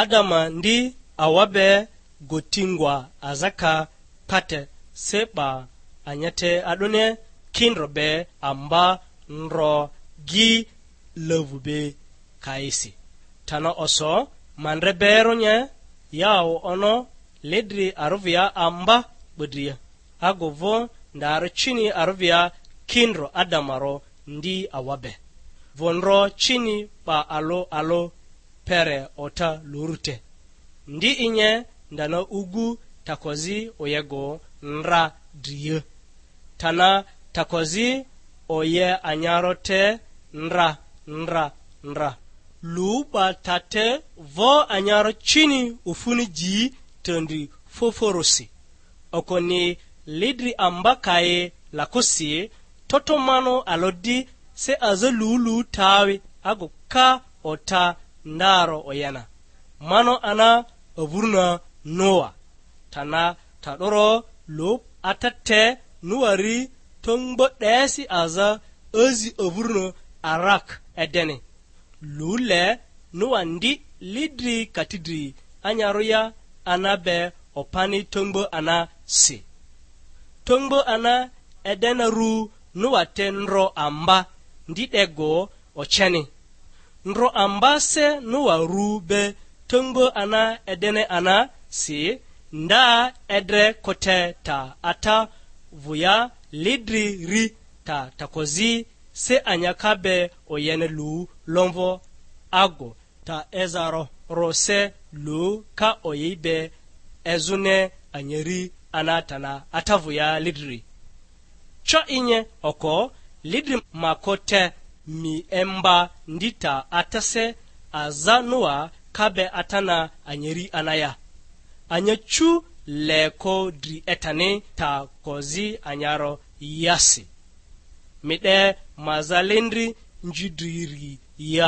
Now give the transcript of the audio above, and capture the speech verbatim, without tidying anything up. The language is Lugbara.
Adama ndi awa be goti ngwa aza ka pate se 'ba anyate a'dᴜni kindro be amba ndro gi lavu be kaisi. Tana oso ma ndre be eronye, yawo ono lidri aruvia amba 'bodria. Agu vᴜ ndaro cini aruvia kindro Adamaro ndi awa be. Vondro cini 'ba alᴜ alᴜ pere ota lurute. Ndi inye ndana ugu takozi oyego ndra drie. Tana takozi oye anyaro te ndra, ndra, ndra. Lu 'ba ta te vo anyaro cini ofuni ji tandri foforosi. Okoni lidri amba kayi lakosi, toto mano alodi se aza lulu tawi ago ka ota ndaro oyena. Mano ana avuruna Noa. Tana ta'doro lo ata te Noa ri tongbo 'desi aza azi avuruna Arak Edeni. Lu le Noa ndi lidri katidri anyarᴜ ya ana be opani tongbo ana si. Tongbo ana Edena ru Noa te ndro amba ndi 'dego oceni. Ndro amba se Noa ru be tongbo ana Edene ana si, nda edre kote ta ata vᴜ ya lidri ri ta takozi se anyaka be oyene lu lomvo ago ta ezaro ro se lu ka oyi be ezᴜne anyeri ana tana ata vᴜ ya lidri. Co inye oko lidri ma ko te mi emba ndi ta atase aza Noa ka be atana anyeri ana ya. Anya cu le ko dri etani ta kozi anyaro yasi. Mi 'de maza lindri nji driri ya.